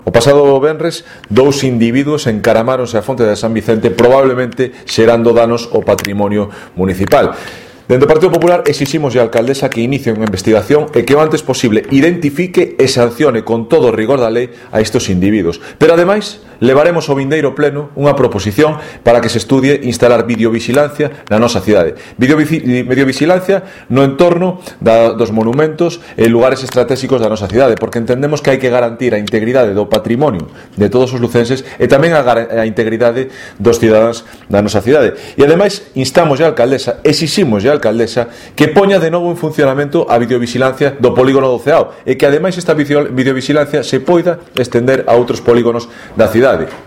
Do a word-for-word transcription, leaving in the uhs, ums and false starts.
O pasado venres, dous individuos encaramáronse á fonte de San Vicente, probablemente xerando danos ao patrimonio municipal. Dentro do Partido Popular exiximos á alcaldesa que inicie unha investigación e que o antes posible identifique e sancione con todo o rigor da lei a estes individuos. Pero ademais, levaremos ao vindeiro pleno unha proposición para que se estudie instalar videovigilancia na nosa cidade. Videovigilancia no entorno da, dos monumentos e lugares estratégicos da nosa cidade, porque entendemos que hai que garantir a integridade do patrimonio de todos os lucenses e tamén a, a integridade dos cidadáns da nosa cidade. E ademais, instamos á alcaldesa, exiximos á alcaldesa que poña de novo en funcionamento a videovigilancia do polígono do Ceao e que ademais esta videovigilancia se poida estender a outros polígonos da cidade.